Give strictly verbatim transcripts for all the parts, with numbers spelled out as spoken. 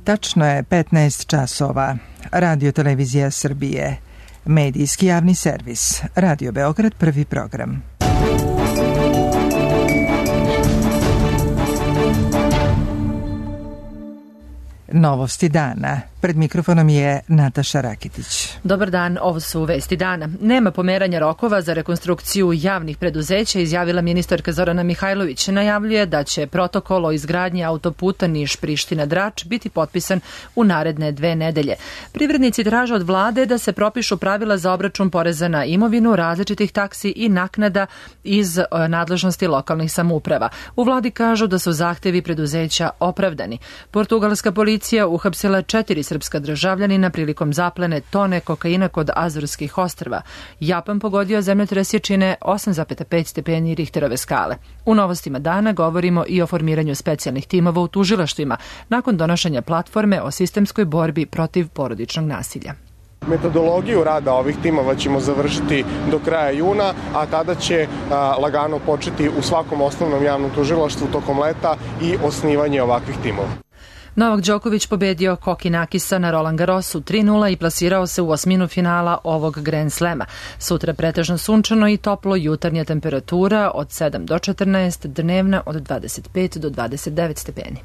Tačno je petnaest časova. Radio Televizija Srbije. Medijski javni servis. Radio Beograd, prvi program. Novosti dana. Pred mikrofonom je Nataša Rakitić. Dobar dan, ovo su vesti dana. Nema pomeranja rokova za rekonstrukciju javnih preduzeća, izjavila ministarka Zorana Mihajlović. Najavljuje da će protokol o izgradnji autoputa Niš-Priština-Drač biti potpisan u naredne dve nedelje. Privrednici traže od vlade da se propišu pravila za obračun poreza na imovinu, različitih taksi i naknada iz nadležnosti lokalnih samouprava. U vladi kažu da su zahtevi preduzeća opravdani. Portugalska policija uhapsila četiri srpska državljanina prilikom zaplene tone kokaina kod Azorskih ostrva. Japan pogodio zemljotres jačine osam zarez pet stepeni Richterove skale. U novostima dana govorimo i o formiranju specijalnih timova u tužilaštvima nakon donošenja platforme o sistemskoj borbi protiv porodičnog nasilja. Metodologiju rada ovih timova ćemo završiti do kraja juna, a tada će a, lagano početi u svakom osnovnom javnom tužilaštvu tokom leta i osnivanje ovakvih timova. Novak Đoković pobedio Kokinakisa na Roland Garrosu tri nula i plasirao se u osminu finala ovog Grand Slema. Sutra pretežno sunčano i toplo, jutarnja temperatura od sedam do četrnaest, dnevna od dvadeset pet do dvadeset devet stepeni.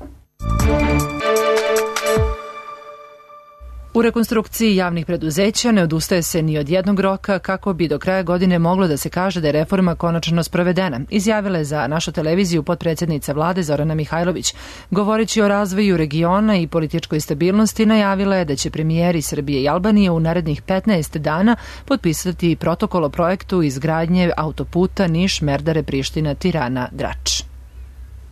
U rekonstrukciji javnih preduzeća ne odustaje se ni od jednog roka kako bi do kraja godine moglo da se kaže da je reforma konačno sprovedena, izjavila je za našu televiziju potpredsjednica vlade Zorana Mihajlović. Govoreći o razvoju regiona i političkoj stabilnosti, najavila je da će premijeri Srbije i Albanije u narednih petnaest dana potpisati protokol o projektu izgradnje autoputa Niš-Merdare-Priština-Tirana-Drač.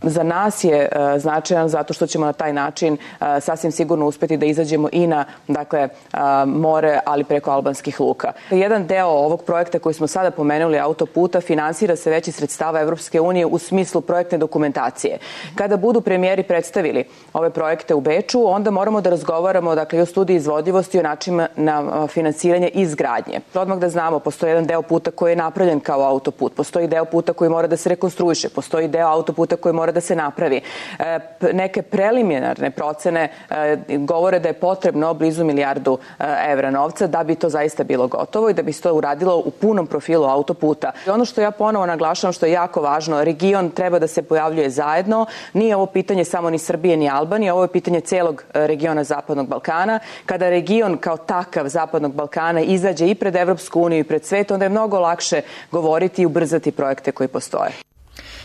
Za nas je uh, značajan zato što ćemo na taj način uh, sasvim sigurno uspeti da izađemo i na dakle, uh, more, ali preko albanskih luka. Jedan deo ovog projekta koji smo sada pomenuli, autoputa, finansira se već iz sredstava Evropske unije u smislu projektne dokumentacije. Kada budu premijeri predstavili ove projekte u Beču, onda moramo da razgovaramo dakle, i o studiji izvodljivosti i o načinima na finansiranje i izgradnje. Odmah da znamo, postoji jedan deo puta koji je napravljen kao autoput, postoji deo puta koji mora da se rekonstruiše, postoji deo autoputa koji mora da se napravi. E, neke preliminarne procene e, govore da je potrebno blizu milijardu e, evra novca da bi to zaista bilo gotovo i da bi se to uradilo u punom profilu autoputa. I ono što ja ponovo naglašavam, što je jako važno, region treba da se pojavljuje zajedno. Nije ovo pitanje samo ni Srbije ni Albanije, ovo je pitanje celog regiona Zapadnog Balkana. Kada region kao takav Zapadnog Balkana izađe i pred Evropsku uniju i pred svet, onda je mnogo lakše govoriti i ubrzati projekte koji postoje.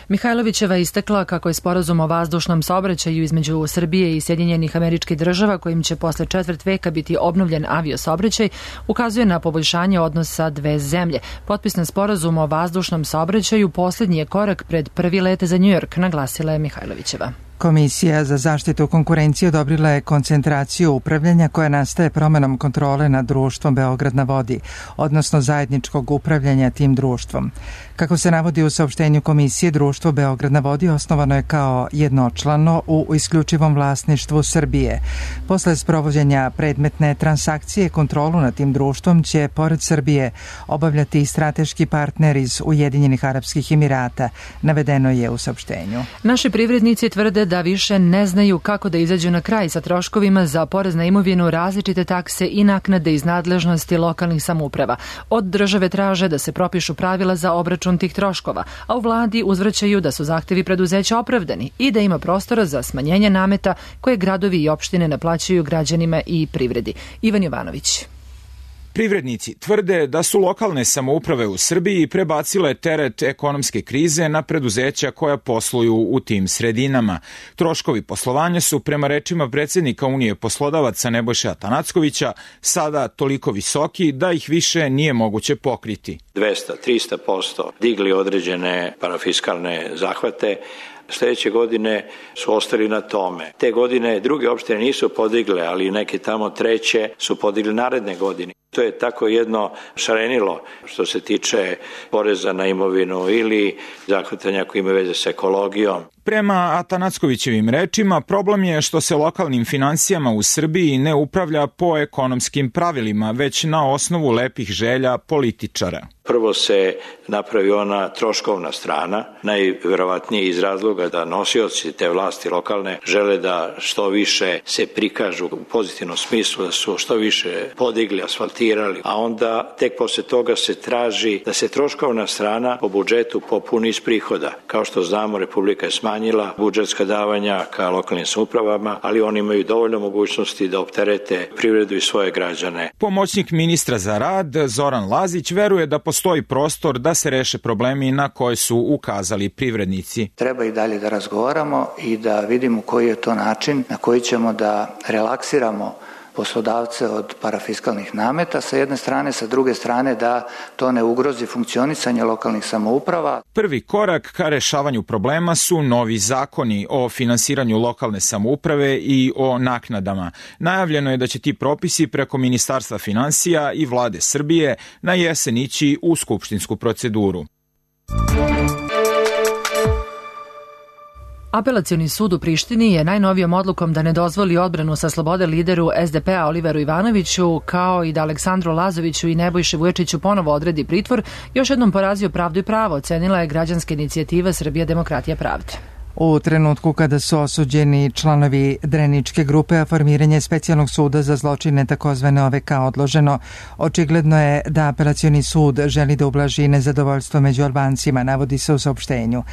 Mihajlovićeva je istakla kako je sporazum o vazdušnom saobraćaju između Srbije i Sjedinjenih Američkih Država, kojim će posle četvrt veka biti obnovljen aviosaobraćaj, ukazuje na poboljšanje odnosa dve zemlje. Potpisan sporazum o vazdušnom saobraćaju posljednji je korak pred prvi let za New York, naglasila je Mihajlovićeva. Komisija za zaštitu konkurencije odobrila je koncentraciju upravljanja koja nastaje promenom kontrole nad društvom Beograd na vodi, odnosno zajedničkog upravljanja tim društvom. Kako se navodi u saopštenju komisije, društvo Beograd na vodi osnovano je kao jednočlano u isključivom vlasništvu Srbije. Posle sprovođenja predmetne transakcije, kontrolu nad tim društvom će, pored Srbije, obavljati i strateški partner iz Ujedinjenih Arapskih Emirata, navedeno je u saopštenju. Naši privrednici tvrde da više ne znaju kako da izađu na kraj sa troškovima za porez na imovinu, različite takse i naknade iz nadležnosti lokalnih samouprava. Od države traže da se propišu pravila za obračun tih troškova, a u vladi uzvraćaju da su zahtevi preduzeća opravdani i da ima prostora za smanjenje nameta koje gradovi i opštine naplaćuju građanima i privredi. Ivan Jovanović. Privrednici tvrde da su lokalne samouprave u Srbiji prebacile teret ekonomske krize na preduzeća koja posluju u tim sredinama. Troškovi poslovanja su, prema rečima predsjednika Unije poslodavaca Nebojše Atanackovića, sada toliko visoki da ih više nije moguće pokriti. dvesta do trista posto digli određene parafiskalne zahvate. Sljedeće godine su ostali na tome. Te godine druge opštine nisu podigle, ali neke tamo treće su podigli naredne godine. To je tako jedno šarenilo što se tiče poreza na imovinu ili zahvatanja koji imaju veze sa ekologijom. Prema Atanackovićevim rečima, problem je što se lokalnim finansijama u Srbiji ne upravlja po ekonomskim pravilima, već na osnovu lepih želja političara. Prvo se napravi ona troškovna strana, najverovatnije iz razloga da nosioci te vlasti lokalne žele da što više se prikažu u pozitivnom smislu, da su što više podigli, asfaltirali, a onda tek posle toga se traži da se troškovna strana po budžetu popuni iz prihoda. Kao što znamo, Republika je smanjila budžetska davanja ka lokalnim samoupravama, ali oni imaju dovoljno mogućnosti da opterete privredu i svoje građane. Pomoćnik ministra za rad Zoran Lazić veruje da postoji prostor da se reše problemi na koje su ukazali privrednici. Treba i dalje da razgovaramo i da vidimo koji je to način na koji ćemo da relaksiramo poslodavce od parafiskalnih nameta sa jedne strane, sa druge strane da to ne ugrozi funkcionisanje lokalnih samouprava. Prvi korak ka rešavanju problema su novi zakoni o finansiranju lokalne samouprave i o naknadama. Najavljeno je da će ti propisi preko Ministarstva finansija i Vlade Srbije na jesen ići u skupštinsku proceduru. Apelacioni sud u Prištini je najnovijom odlukom da ne dozvoli odbranu sa slobode lideru es de pe-a Oliveru Ivanoviću, kao i da Aleksandru Lazoviću i Nebojši Vuječiću ponovo odredi pritvor, još jednom porazio Pravdu i pravo, ocenila je građanska inicijativa Srbija demokratija pravde. U trenutku kada su osuđeni članovi Dreničke grupe, a formiranje specijalnog suda za zločine takozvane O V K odloženo, očigledno je da apelacioni sud želi da ublaži nezadovoljstvo među Albancima, navodi se u saopštenju.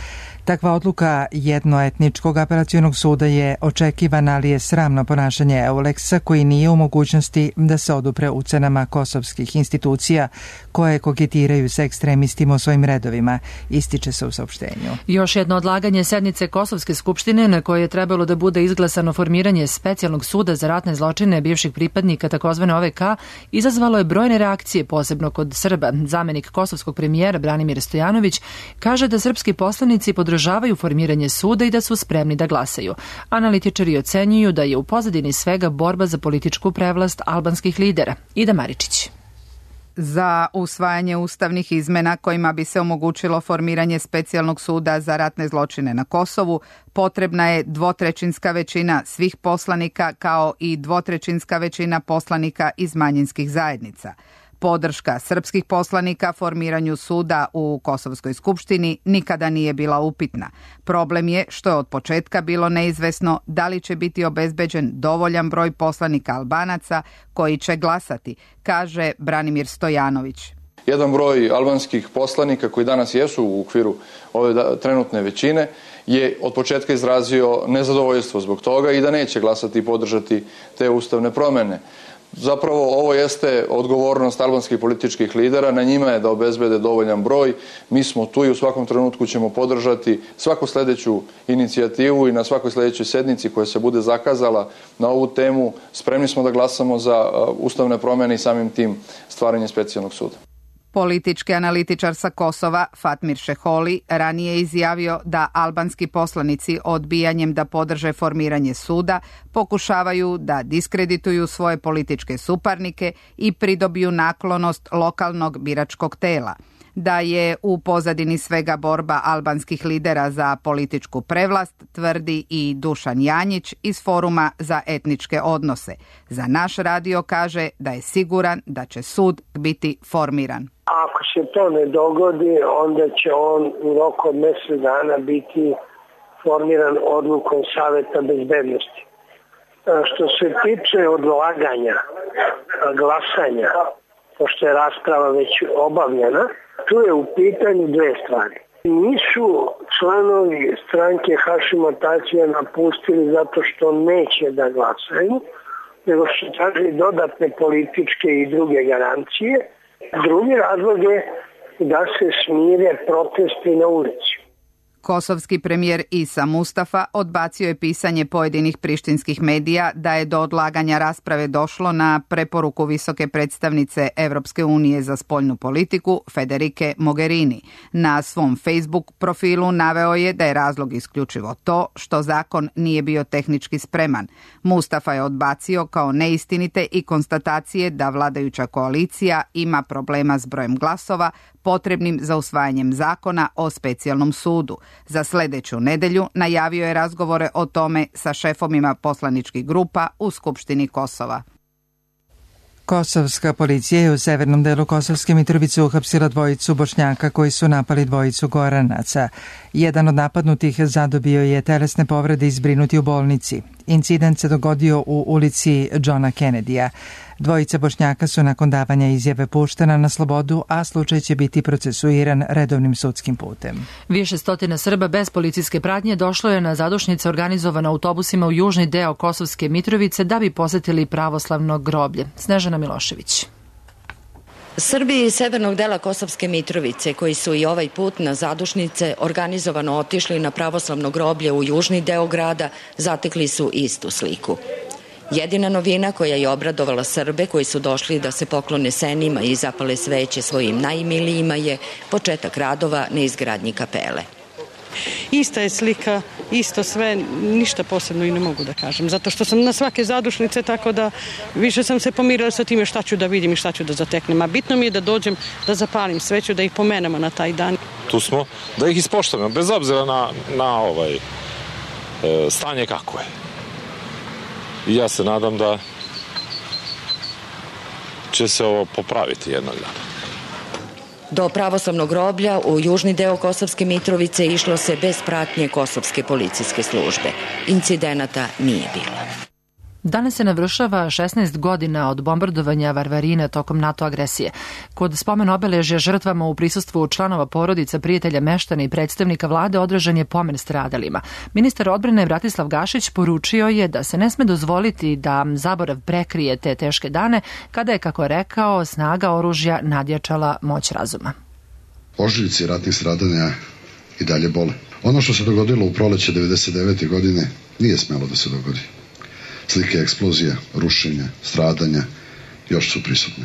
Takva odluka jednoetničkog apelacionog suda je očekivana, ali je sramno ponašanje Euleksa, koji nije u mogućnosti da se odupre ucenama kosovskih institucija koje koketiraju sa ekstremistima u svojim redovima, ističe se u saopštenju. Još jedno odlaganje sednice Kosovske skupštine na kojoj je trebalo da bude izglasano formiranje specijalnog suda za ratne zločine bivših pripadnika takozvane O V K izazvalo je brojne reakcije, posebno kod Srba. Zamenik kosovskog premijera Branimir Stojanović kaže da srpski poslanici podržavaju formiranje suda i da su spremni da glasaju. Analitičari ocenjuju da je u pozadini svega borba za političku prevlast albanskih lidera. Ida Maričić. Za usvajanje ustavnih izmena kojima bi se omogućilo formiranje specijalnog suda za ratne zločine na Kosovu, potrebna je dvotrećinska većina svih poslanika kao i dvotrećinska većina poslanika iz manjinskih zajednica. Podrška srpskih poslanika formiranju suda u Kosovskoj skupštini nikada nije bila upitna. Problem je što je od početka bilo neizvesno da li će biti obezbeđen dovoljan broj poslanika Albanaca koji će glasati, kaže Branimir Stojanović. Jedan broj albanskih poslanika koji danas jesu u okviru ove trenutne većine je od početka izrazio nezadovoljstvo zbog toga i da neće glasati i podržati te ustavne promene. Zapravo ovo jeste odgovornost albanskih političkih lidera, na njima je da obezbede dovoljan broj. Mi smo tu i u svakom trenutku ćemo podržati svaku sledeću inicijativu i na svakoj sledećoj sednici koja se bude zakazala na ovu temu. Spremni smo da glasamo za ustavne promene i samim tim stvaranje specijalnog suda. Politički analitičar sa Kosova Fatmir Šeholi ranije izjavio da albanski poslanici odbijanjem da podrže formiranje suda pokušavaju da diskredituju svoje političke suparnike i pridobiju naklonost lokalnog biračkog tela. Da je u pozadini svega borba albanskih lidera za političku prevlast, tvrdi i Dušan Janjić iz Foruma za etničke odnose. Za naš radio kaže da je siguran da će sud biti formiran. Ako se to ne dogodi, onda će on u roku od mjesec dana biti formiran odlukom Saveta bezbednosti. Što se tiče odlaganja glasanja, pošto je rasprava već obavljena, tu je u pitanju dve stvari. Nisu članovi stranke Hašima Tačija napustili zato što neće da glasaju, nego su tražili dodatne političke i druge garancije. Drugi razlog je da se smire protesti na ulici. Kosovski premijer Isa Mustafa odbacio je pisanje pojedinih prištinskih medija da je do odlaganja rasprave došlo na preporuku visoke predstavnice Evropske unije za spoljnu politiku Federike Mogherini. Na svom Facebook profilu naveo je da je razlog isključivo to što zakon nije bio tehnički spreman. Mustafa je odbacio kao neistinite i konstatacije da vladajuća koalicija ima problema s brojem glasova potrebnim za usvajanjem zakona o specijalnom sudu. Za sledeću nedelju najavio je razgovore o tome sa šefovima poslaničkih grupa u Skupštini Kosova. Kosovska policija je u severnom delu Kosovske Mitrovice uhapsila dvojicu Bošnjaka koji su napali dvojicu Goranaca. Jedan od napadnutih zadobio je telesne povrede i zbrinuti u bolnici. Incident se dogodio u ulici Johna Kennedya. Dvojica Bošnjaka su nakon davanja izjave puštena na slobodu, a slučaj će biti procesuiran redovnim sudskim putem. Više stotina Srba bez policijske pratnje došlo je na zadušnice organizovane autobusima u južni deo Kosovske Mitrovice da bi posetili pravoslavno groblje. Snežana Milošević. Srbi iz severnog dela Kosovske Mitrovice, koji su i ovaj put na zadušnice organizovano otišli na pravoslavno groblje u južni deo grada, zatekli su istu sliku. Jedina novina koja je obradovala Srbe koji su došli da se poklone senima i zapale sveće svojim najmilijima je početak radova na izgradnji kapele. Ista je slika, isto sve, ništa posebno i ne mogu da kažem, zato što sam na svake zadušnice, tako da više sam se pomirila sa time šta ću da vidim i šta ću da zateknem. A bitno mi je da dođem, da zapalim sveću, da ih pomenemo na taj dan. Tu smo da ih ispoštujemo, bez obzira na, na ovaj, e, stanje kako je. I ja se nadam da će se ovo popraviti jednog dana. Do pravoslavnog groblja u južni deo Kosovske Mitrovice išlo se bez pratnje kosovske policijske službe. Incidenata nije bilo. Danas se navršava šesnaest godina od bombardovanja Varvarina tokom NATO agresije. Kod spomen obeležja žrtvama u prisustvu članova porodica, prijatelja, meštana i predstavnika vlade održan je pomen stradalima. Ministar odbrane Bratislav Gašić poručio je da se ne sme dozvoliti da zaborav prekrije te teške dane kada je, kako je rekao, snaga oružja nadjačala moć razuma. Ožiljci ratnih stradanja i dalje bole. Ono što se dogodilo u proleće devedeset devete godine nije smelo da se dogodi. Slike eksplozija, rušenja, stradanja još su prisutne.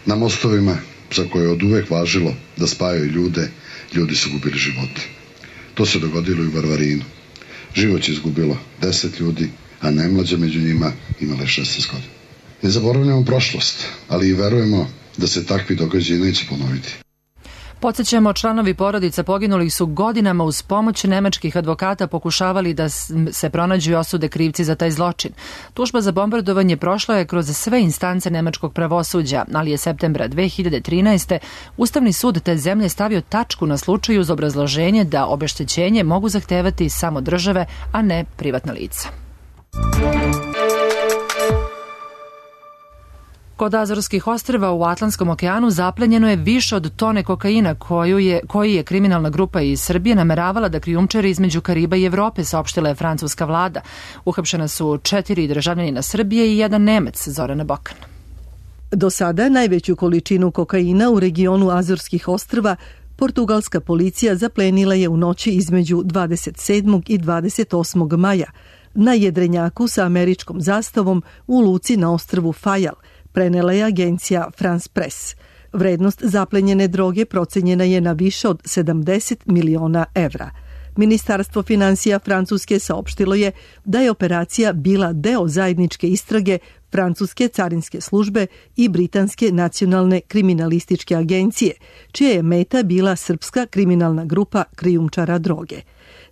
Na mostovima, za koje je od uvek važilo da spajaju ljude, ljudi su gubili živote. To se dogodilo i u Varvarinu. Život je izgubilo deset ljudi, a najmlađa među njima imala je šesnaest godina. Ne zaboravljamo prošlost, ali i verujemo da se takvi događaji neće ponoviti. Podsećamo, članovi porodica poginulih su godinama uz pomoć nemačkih advokata pokušavali da se pronađu i osude krivci za taj zločin. Tužba za bombardovanje prošla je kroz sve instance nemačkog pravosuđa, ali je septembra dve hiljade trinaeste. Ustavni sud te zemlje stavio tačku na slučaju uz obrazloženje da obeštećenje mogu zahtevati samo države, a ne privatna lica. Kod Azorskih ostrva u Atlantskom okeanu zaplenjeno je više od tone kokaina koju je, koji je kriminalna grupa iz Srbije nameravala da krijumčari između Kariba i Evrope, saopštila je francuska vlada. Uhapšena su četiri državljanina Srbije i jedan Nemac, Zorana Bokan. Do sada najveću količinu kokaina u regionu Azorskih ostrva portugalska policija zaplenila je u noći između dvadeset sedmog i dvadeset osmog maja na jedrenjaku sa američkom zastavom u luci na ostrvu Fajal, prenela je agencija France Press. Vrednost zaplenjene droge procenjena je na više od sedamdeset miliona evra. Ministarstvo finansija Francuske saopštilo je da je operacija bila deo zajedničke istrage Francuske carinske službe i Britanske nacionalne kriminalističke agencije, čija je meta bila srpska kriminalna grupa krijumčara droge.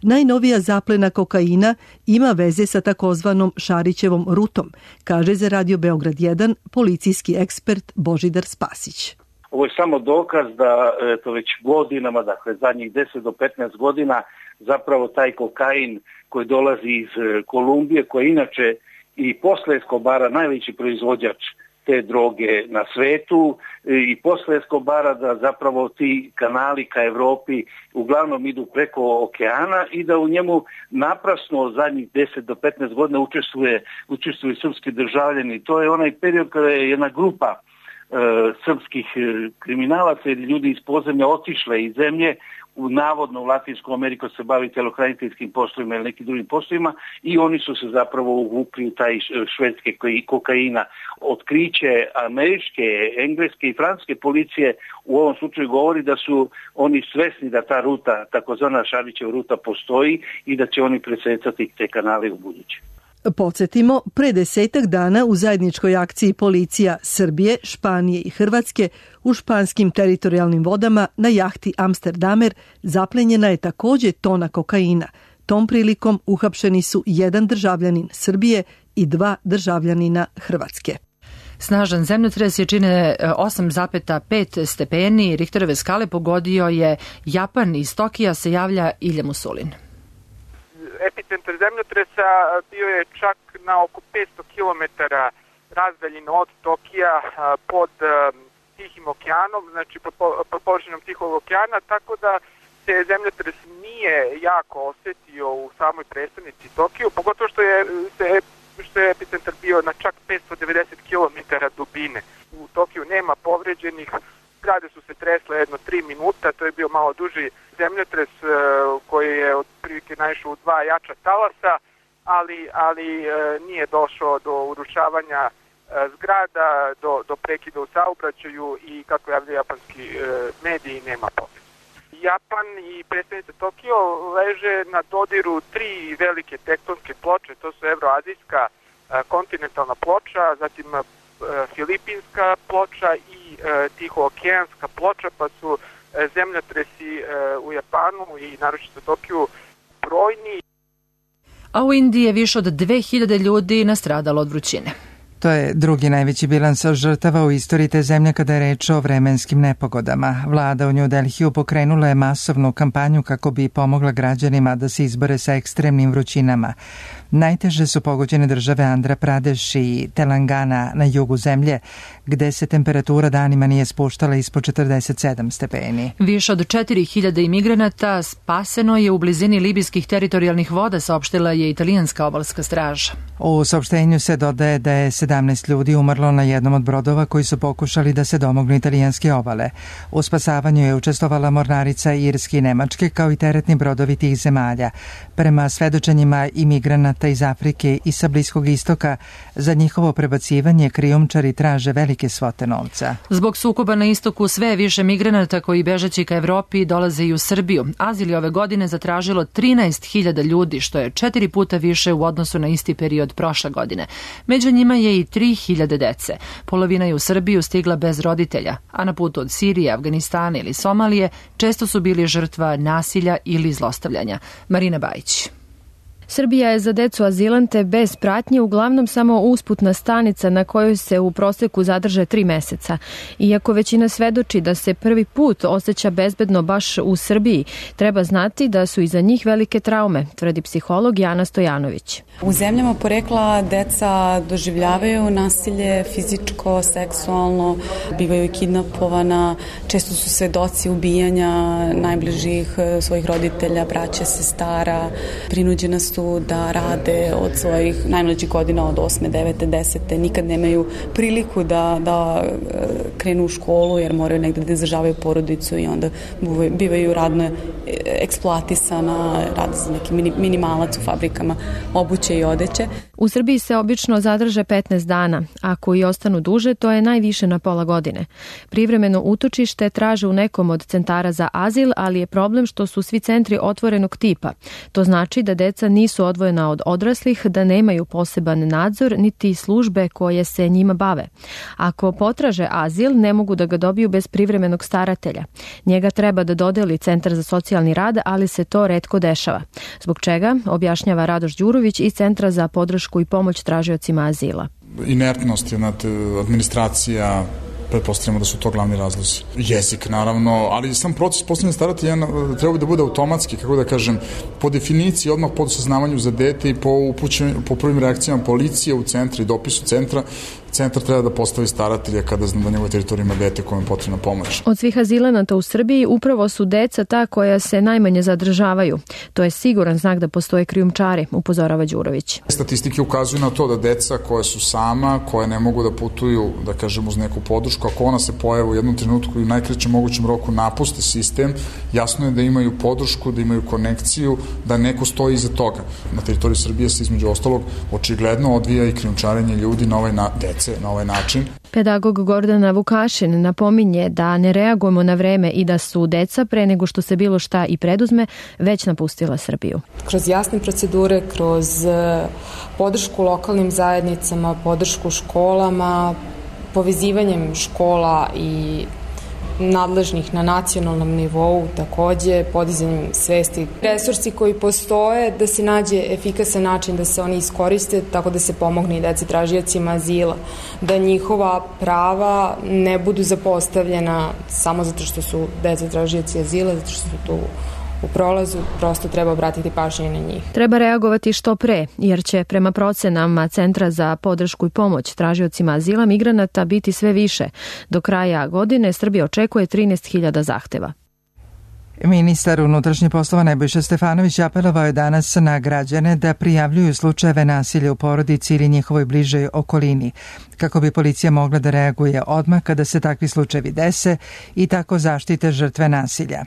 Najnovija zaplena kokaina ima veze sa takozvanom Šarićevom rutom, kaže za Radio Beograd jedan policijski ekspert Božidar Spasić. Ovo je samo dokaz da to već godinama, dakle zadnjih deset do petnaest godina, zapravo taj kokain koji dolazi iz Kolumbije, koji je inače i posle Escobara najveći proizvođač te droge na svetu, i posle Escobara da zapravo ti kanali ka Evropi uglavnom idu preko okeana i da u njemu naprasno zadnjih deset do petnaest godina učestvuje, učestvuju srpski državljani. To je onaj period kada je jedna grupa e, srpskih kriminalaca ili ljudi iz podzemlja otišle iz zemlje, u navodno u Latinsku Ameriku se bavi telohraniteljskim poslovima ili nekim drugim poslovima i oni su se zapravo uvukli u taj švedske kokaina. Otkriće američke, engleske i francuske policije u ovom slučaju govori da su oni svesni da ta ruta, takozvana Šarićeva ruta, postoji i da će oni presecati te kanale u buduće. Podsjetimo, pre desetak dana u zajedničkoj akciji policija Srbije, Španije i Hrvatske u španskim teritorijalnim vodama na jahti Amsterdamer zaplenjena je takođe tona kokaina. Tom prilikom uhapšeni su jedan državljanin Srbije i dva državljanina Hrvatske. Snažan zemljotres je čine osam zarez pet stepeni Richterove skale pogodio je Japan. Iz Tokija se javlja Ilja Musulin. Epicentar zemljotresa bio je čak na oko petsto kilometara razdaljino od Tokija pod Tihim okeanom, znači pod, pod površinom Tihog okeana, tako da se zemljotres nije jako osetio u samoj prestonici Tokiju, pogotovo što je, se, što je epicentar bio na čak petsto devedeset kilometara dubine. U Tokiju nema povređenih, zgrade su se tresle jedno tri minuta, to je bio malo duži zemljotres koji je otprilike naišao u dva jača talasa, ali, ali nije došao do urušavanja zgrada, do, do prekida u saobraćaju i, kako javljaju japanski mediji, nema povređenih. Japan i predstavnica Tokio leže na dodiru tri velike tektonske ploče, to su evroazijska kontinentalna ploča, zatim filipinska ploča i tihookeanska ploča, pa su zemljotresi u Japanu i naročito Tokiju brojni. A u Indiji je više od dve hiljade ljudi nastradalo od vrućine. To je drugi najveći bilans žrtava u istoriji te zemlje kada je reč o vremenskim nepogodama. Vlada u New Delhiju pokrenula je masovnu kampanju kako bi pomogla građanima da se izbore sa ekstremnim vrućinama. Najteže su pogođene države Andhra Pradesh i Telangana na jugu zemlje, gde se temperatura danima nije spuštala ispod četrdeset sedam stepeni. Više od četiri hiljade imigranata spaseno je u blizini libijskih teritorijalnih voda, saopštila je italijanska obalska straža. U saopštenju se dodaje da je sedamnaest ljudi umrlo na jednom od brodova koji su pokušali da se domognu italijanske obale. U spasavanju je učestvovala mornarica Irske i Nemačke kao i teretni brodovi tih zemalja. Prema svedočenjima imigranata iz Afrike i sa Bliskog istoka, za njihovo prebacivanje krijumčari traže velike svote novca. Zbog sukoba na istoku sve je više migranata koji bežeći ka Evropi dolaze i u Srbiju. Azil je ove godine zatražilo trinaest hiljada ljudi, što je četiri puta više u odnosu na isti period prošle godine. Među njima je i tri hiljade dece. Polovina je u Srbiju stigla bez roditelja, a na putu od Sirije, Afganistana ili Somalije često su bili žrtva nasilja ili zlostavljanja. Marina Bajić. Srbija je za decu azilante bez pratnje uglavnom samo usputna stanica na kojoj se u proseku zadrže tri meseca. Iako većina svedoči da se prvi put osjeća bezbedno baš u Srbiji, treba znati da su iza njih velike traume, tvrdi psiholog Jana Stojanović. U zemljama porekla deca doživljavaju nasilje fizičko, seksualno, bivaju kidnapovana, često su svedoci ubijanja najbližih svojih roditelja, braće, sestara, prinuđena su da rade od svojih najmlađih godina, od osme, devete, desete, nikad nemaju priliku da, da krenu u školu jer moraju negde da izdržavaju porodicu i onda bivaju radno eksploatisana, rade za neki minimalac u fabrikama obuće i odeće. U Srbiji se obično zadrže petnaest dana. Ako i ostanu duže, to je najviše na pola godine. Privremeno utočište traže u nekom od centara za azil, ali je problem što su svi centri otvorenog tipa. To znači da deca nisu odvojena od odraslih, da nemaju poseban nadzor, niti službe koje se njima bave. Ako potraže azil, ne mogu da ga dobiju bez privremenog staratelja. Njega treba da dodeli Centar za socijalni rad, ali se to retko dešava. Zbog čega, objašnjava Radoš Đurović iz Centra za podršku i pomoć tražiocima azila. Inertnost, jedna administracija, pretpostavljamo da su to glavni razlozi. Jezik, naravno, ali sam proces postavljanja staratelja treba da bude automatski, kako da kažem, po definiciji, odmah po saznavanju za dete i po, upućenju, po prvim reakcijama policije u centru i dopisu centra, centar treba da postavi staratelja kada zna da njegove teritorije ima dete kojem je potrebna pomoć. Od svih azilanata u Srbiji upravo su deca ta koja se najmanje zadržavaju. To je siguran znak da postoje krijumčari, upozorava Đurović. Statistike ukazuju na to da deca koja su sama, koje ne mogu da putuju, da kažem, uz neku podršku, ako ona se pojave u jednom trenutku i u najkraćem mogućem roku napuste sistem, jasno je da imaju podršku, da imaju konekciju, da neko stoji iza toga. Na teritoriji Srbije se između ostalog očigledno odvija i krijumčarenje ljudi na ovaj na dece na ovaj način. Pedagog Gordana Vukašin napominje da ne reagujemo na vreme i da su deca pre nego što se bilo šta i preduzme već napustila Srbiju. Kroz jasne procedure, kroz podršku lokalnim zajednicama, podršku školama, povezivanjem škola i nadležnih na nacionalnom nivou, takođe podizanjem svesti. Resursi koji postoje, da se nađe efikasan način da se oni iskoriste, tako da se pomogne i deci tražiocima azila, da njihova prava ne budu zapostavljena samo zato što su deca tražioci azila, zato što su tu u prolazu, prosto treba obratiti pažnju na njih. Treba reagovati što pre, jer će prema procenama Centra za podršku i pomoć tražiocima azila migranata biti sve više. Do kraja godine Srbija očekuje trinaest hiljada zahteva. Ministar unutrašnjih poslova Nebojša Stefanović apelovao je danas na građane da prijavljuju slučajeve nasilja u porodici ili njihovoj bližoj okolini, kako bi policija mogla da reaguje odmah kada se takvi slučajevi dese i tako zaštite žrtve nasilja.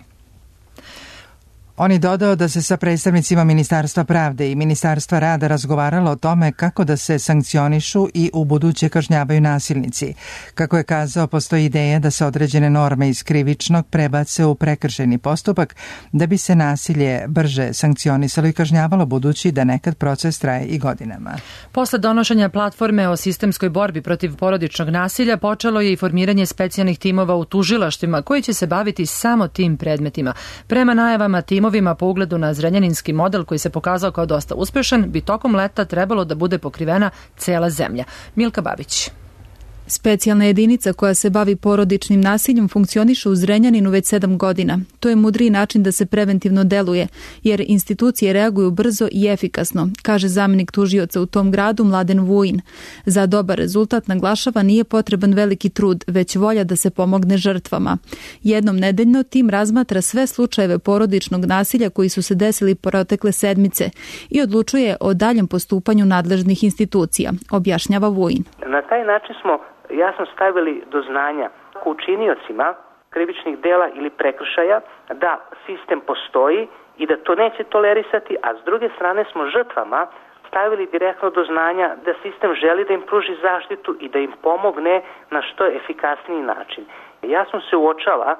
On je dodao da se sa predstavnicima Ministarstva pravde i Ministarstva rada razgovaralo o tome kako da se sankcionišu i u buduće kažnjavaju nasilnici. Kako je kazao, postoji ideja da se određene norme iz krivičnog prebace u prekršajni postupak da bi se nasilje brže sankcionisalo i kažnjavalo, budući da nekad proces traje i godinama. Posle donošenja platforme o sistemskoj borbi protiv porodičnog nasilja počelo je i formiranje specijalnih timova u tužilaštvima koji će se baviti samo tim predmetima. Prema najavama tim Timovima po ugledu na zrenjaninski model koji se pokazao kao dosta uspešan, bi tokom leta trebalo da bude pokrivena cela zemlja. Milka Babić. Specijalna jedinica koja se bavi porodičnim nasiljem funkcioniše u Zrenjaninu već sedam godina. To je mudriji način da se preventivno deluje, jer institucije reaguju brzo i efikasno, kaže zamenik tužioca u tom gradu Mladen Vujin. Za dobar rezultat, naglašava, nije potreban veliki trud, već volja da se pomogne žrtvama. Jednom nedeljno tim razmatra sve slučajeve porodičnog nasilja koji su se desili protekle sedmice i odlučuje o daljem postupanju nadležnih institucija, objašnjava Vujin. Na taj način smo jasno stavili do znanja učiniocima krivičnih dela ili prekršaja da sistem postoji i da to neće tolerisati, a s druge strane smo žrtvama stavili direktno do znanja da sistem želi da im pruži zaštitu i da im pomogne na što efikasniji način. Jasno se uočava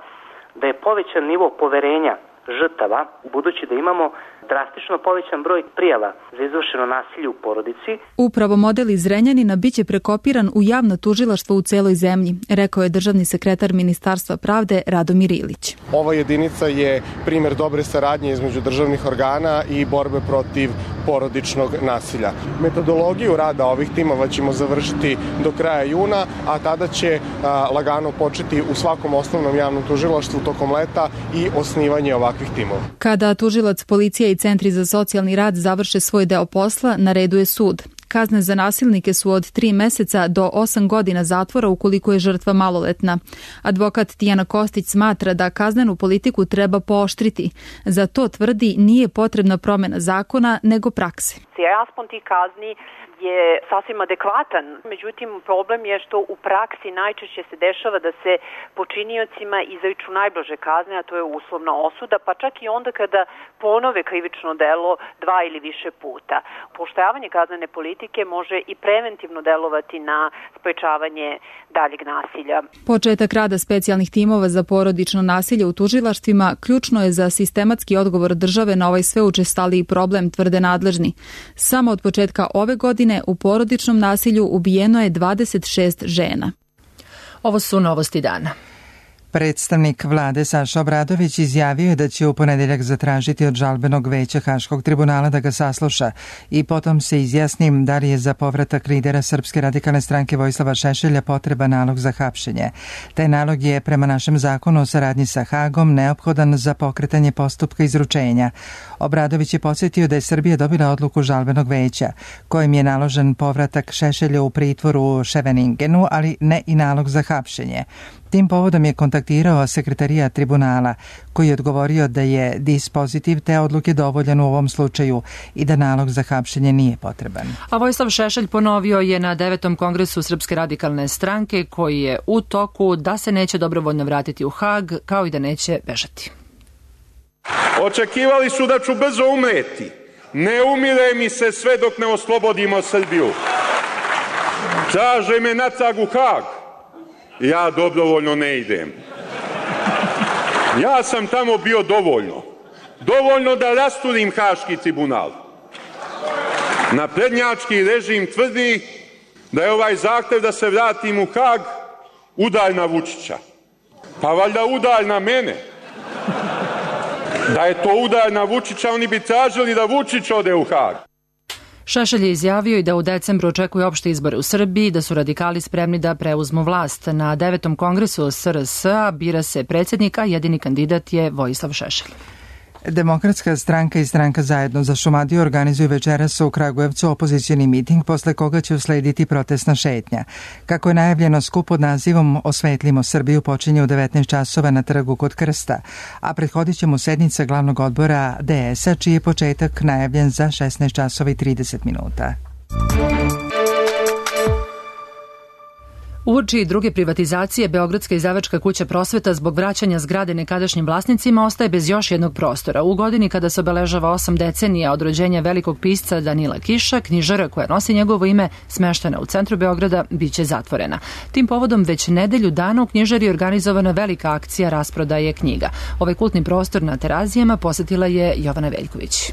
da je povećan nivo poverenja žrtava, budući da imamo drastično povećan broj prijava za izvršeno nasilje u porodici. Upravo model iz Zrenjanina biće prekopiran u javno tužilaštvo u celoj zemlji, rekao je državni sekretar Ministarstva pravde Radomir Ilić. Ova jedinica je primer dobre saradnje između državnih organa i borbe protiv porodičnog nasilja. Metodologiju rada ovih timova ćemo završiti do kraja juna, a tada će a, lagano početi u svakom osnovnom javnom tužilaštvu tokom leta i osnivanje ovakvih timova. Kada tužilac, policija i centri za socijalni rad završe svoj deo posla, na redu je sud. Kazne za nasilnike su od tri meseca do osam godina zatvora ukoliko je žrtva maloletna. Advokat Tijana Kostić smatra da kaznenu politiku treba pooštriti. Za to, tvrdi, nije potrebna promena zakona, nego prakse. Raspon tih kazni je sasvim adekvatan, međutim problem je što u praksi najčešće se dešava da se počiniocima izriču najblaže kazne, a to je uslovna osuda, pa čak i onda kada ponove krivično delo dva ili više puta. Pooštravanje kaznene politike može i preventivno delovati na sprečavanje daljeg nasilja. Početak rada specijalnih timova za porodično nasilje u tužilaštvima ključno je za sistematski odgovor države na ovaj sve učestaliji problem, tvrde nadležni. Samo od početka ove godine u porodičnom nasilju ubijeno je dvadeset šest žena. Ovo su novosti dana. Predstavnik vlade Saša Obradović izjavio je da će u ponedeljak zatražiti od žalbenog veća Haškog tribunala da ga sasluša i potom se izjasnim da li je za povratak lidera Srpske radikalne stranke Vojislava Šešelja potreba nalog za hapšenje. Taj nalog je prema našem zakonu o saradnji sa Hagom neophodan za pokretanje postupka izručenja. Obradović je podsjetio da je Srbija dobila odluku žalbenog veća kojim je naložen povratak Šešelja u pritvoru u Ševeningenu, ali ne i nalog za hapšenje. Tim povodom je kontaktirao sekretarijat tribunala koji je odgovorio da je dispozitiv te odluke dovoljan u ovom slučaju i da nalog za hapšenje nije potreban. A Vojislav Šešelj ponovio je na devetom kongresu Srpske radikalne stranke koji je u toku da se neće dobrovoljno vratiti u Hag, kao i da neće bežati. Očekivali su da ću brzo umreti. Ne umire mi se sve dok ne oslobodimo Srbiju. Traže me natrag u Hag. Ja dobrovoljno ne idem. Ja sam tamo bio dovoljno. Dovoljno da rasturim Haški tribunal. Naprednjački režim tvrdi da je ovaj zahtev da se vratim u Hag udar na Vučića. Pa valjda udalj na mene. Da je to udalj na Vučića, oni bi tražili da Vučić ode u Hag. Šešelj je izjavio i da u decembru očekuje opšte izbore u Srbiji, da su radikali spremni da preuzmu vlast. Na devetom kongresu S R S-a bira se predsjednik, a jedini kandidat je Vojislav Šešelj. Demokratska stranka i stranka Zajedno za Šumadiju organizuju večeras u Kragujevcu opozicijni miting, posle koga će uslediti protestna šetnja. Kako je najavljeno, skup pod nazivom Osvetlimo Srbiju počinje u devetnaest časova na trgu kod Krsta, a prethodit će mu sednica glavnog odbora D S-a, čiji je početak najavljen za šesnaest časova i trideset minuta. Uoči druge privatizacije, Beogradska izdavačka kuća Prosveta zbog vraćanja zgrade nekadašnjim vlasnicima ostaje bez još jednog prostora. U godini kada se obeležava osam decenija od rođenja velikog pisca Danila Kiša, knjižara koja nosi njegovo ime, smeštena u centru Beograda, biće zatvorena. Tim povodom već nedelju dana u knjižari je organizovana velika akcija rasprodaje knjiga. Ovaj kultni prostor na Terazijama posetila je Jovana Veljković.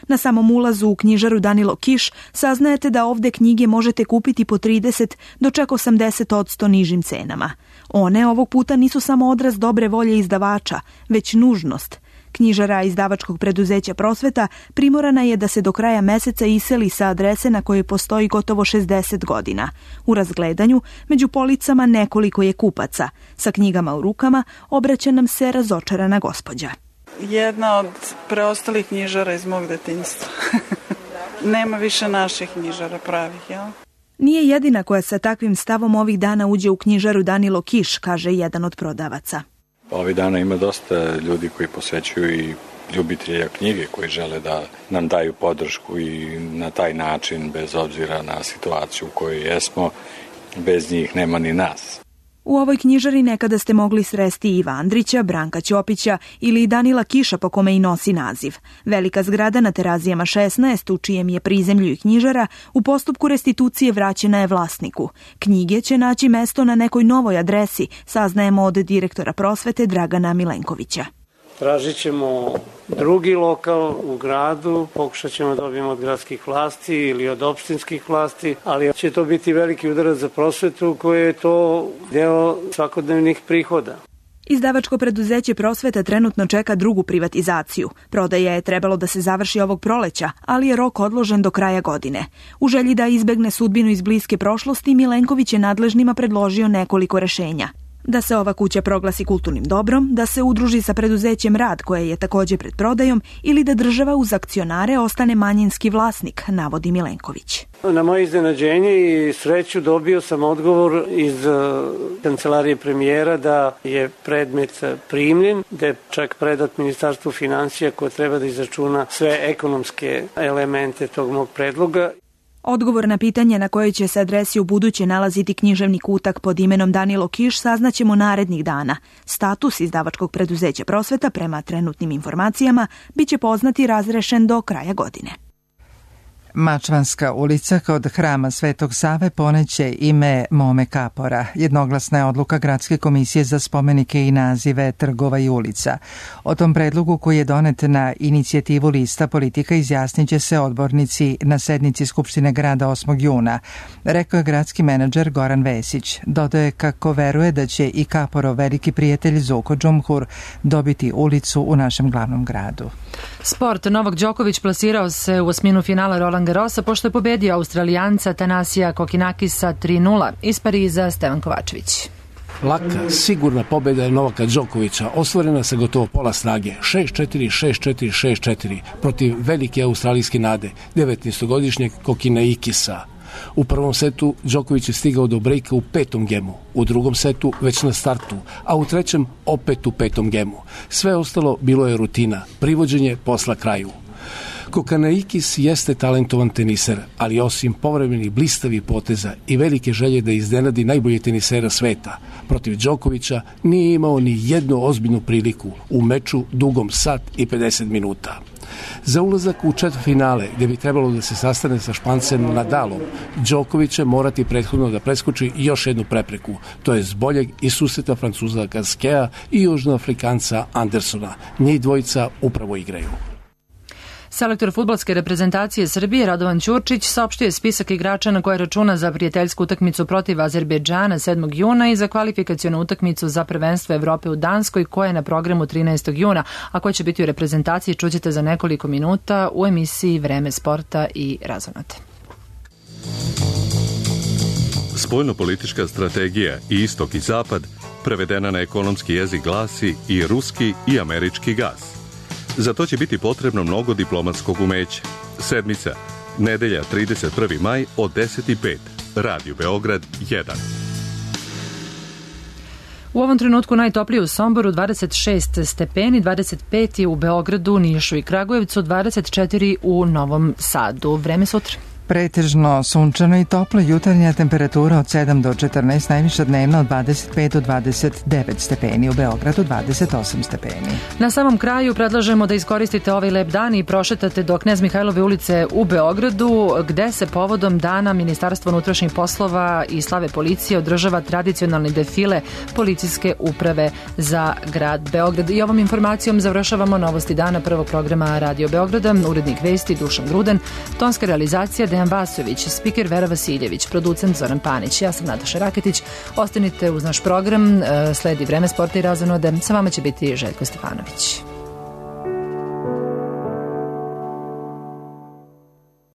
Na samom ulazu u knjižaru Danilo Kiš saznajete da ovde knjige možete kupiti po trideset do čak osamdeset odsto nižim cenama. One ovog puta nisu samo odraz dobre volje izdavača, već nužnost. Knjižara izdavačkog preduzeća Prosveta primorana je da se do kraja meseca iseli sa adrese na kojoj postoji gotovo šezdeset godina. U razgledanju, među policama nekoliko je kupaca. Sa knjigama u rukama obraća nam se razočarana gospođa. Jedna od preostalih knjižara iz mog detinjstva. Nema više naših knjižara pravih, jel? Nije jedina koja sa takvim stavom ovih dana uđe u knjižaru Danilo Kiš, kaže jedan od prodavaca. Ovih dana ima dosta ljudi koji posvećuju i ljubitelja knjige koji žele da nam daju podršku i na taj način, bez obzira na situaciju u kojoj jesmo, bez njih nema ni nas. U ovoj knjižari nekada ste mogli sresti Iva Andrića, Branka Ćopića ili Danila Kiša, po kome i nosi naziv. Velika zgrada na Terazijama šesnaest, u čijem je prizemlju i knjižara, u postupku restitucije vraćena je vlasniku. Knjige će naći mesto na nekoj novoj adresi, saznajemo od direktora Prosvete Dragana Milenkovića. Tražit ćemo drugi lokal u gradu, pokušat ćemo da dobijemo od gradskih vlasti ili od opštinskih vlasti, ali će to biti veliki udarac za Prosvetu koje je to deo svakodnevnih prihoda. Izdavačko preduzeće Prosveta trenutno čeka drugu privatizaciju. Prodaja je trebalo da se završi ovog proleća, ali je rok odložen do kraja godine. U želji da izbegne sudbinu iz bliske prošlosti, Milenković je nadležnima predložio nekoliko rešenja. Da se ova kuća proglasi kulturnim dobrom, da se udruži sa preduzećem Rad, koje je takođe pred prodajom, ili da država uz akcionare ostane manjinski vlasnik, navodi Milenković. Na moje iznenađenje i sreću dobio sam odgovor iz kancelarije premijera da je predmet primljen, da je čak predat Ministarstvu finansija koje treba da izračuna sve ekonomske elemente tog mog predloga. Odgovor na pitanje na kojoj će se adresi u buduće nalaziti književni kutak pod imenom Danilo Kiš saznaćemo narednih dana. Status izdavačkog preduzeća Prosveta, prema trenutnim informacijama, biće poznat i razrešen do kraja godine. Mačvanska ulica kod hrama Svetog Save poneće ime Mome Kapora. Jednoglasna je odluka Gradske komisije za spomenike i nazive trgova i ulica. O tom predlogu koji je donet na inicijativu lista politika izjasnit će se odbornici na sednici Skupštine grada osmog juna, rekao je gradski menadžer Goran Vesić. Dodaje kako veruje da će i Kaporov veliki prijatelj Zuko Džumhur dobiti ulicu u našem glavnom gradu. Sport. Novak Đoković plasirao se u osminu finala Roland Garrosa pošto je pobedio Australijanca Tanasija Kokinakisa tri nula. Iz Pariza Stevan Kovačević. Laka, sigurna pobjeda je Novaka Đokovića, ostvarena sa gotovo pola snage, šest četiri, šest četiri, šest četiri, protiv velike australijske nade, devetnaestogodišnjeg Kokinaikisa. U prvom setu Đoković je stigao do brejka u petom gemu, u drugom setu već na startu, a u trećem opet u petom gemu. Sve ostalo bilo je rutina, privođenje posla kraju. Kokanaikis jeste talentovan teniser, ali osim povremenih blistavih poteza i velike želje da iznenadi najbolje tenisera sveta, protiv Đokovića nije imao ni jednu ozbiljnu priliku u meču dugom sat i pedeset minuta. Za ulazak u četvrtfinale, gde bi trebalo da se sastane sa Špancem Nadalom, Đoković će morati prethodno da preskoči još jednu prepreku, to je boljeg i susreta Francuza Gaskea i Južnoafrikanca Andersona. Njih dvojica upravo igraju. Selektor fudbalske reprezentacije Srbije Radovan Ćurčić saopštio je spisak igrača na koje računa za prijateljsku utakmicu protiv Azerbejdžana sedmog juna i za kvalifikacionu utakmicu za prvenstvo Evrope u Danskoj koja je na programu trinaestog juna, a koja će biti u reprezentaciji čućete za nekoliko minuta u emisiji Vreme sporta i razonate. Spoljnopolitička strategija i istok i zapad prevedena na ekonomski jezik glasi i ruski i američki gas. Za to će biti potrebno mnogo diplomatskog umeća. Sedmica, nedelja trideset prvi maj od deset i pet. Radio Beograd jedan. U ovom trenutku najtoplije u Somboru dvadeset šest stepeni, dvadeset pet je u Beogradu, Nišu i Kragujevcu, dvadeset četiri u Novom Sadu. Vreme sutra. Pretežno sunčano i toplo, jutarnja temperatura od sedam do četrnaest, najviša dnevna od dvadeset pet do dvadeset devet stepeni, u Beogradu dvadeset osam stepeni. Na samom kraju predlažemo da iskoristite ovaj lep dan i prošetate do Knez Mihajlove ulice u Beogradu, gde se povodom dana Ministarstva unutrašnjih poslova i slave policije održava tradicionalni defile policijske uprave za grad Beograd. I ovom informacijom završavamo novosti dana prvog programa Radio Beograda. Urednik vesti Dušan Gruden, tonska realizacija Dejan Vasović, spiker Vera Vasiljević, producent Zoran Panić. Ja sam Nataša Raketić. Ostanite uz naš program, sledi Vreme sporta i razonode. Sa vama će biti Željko Stefanović.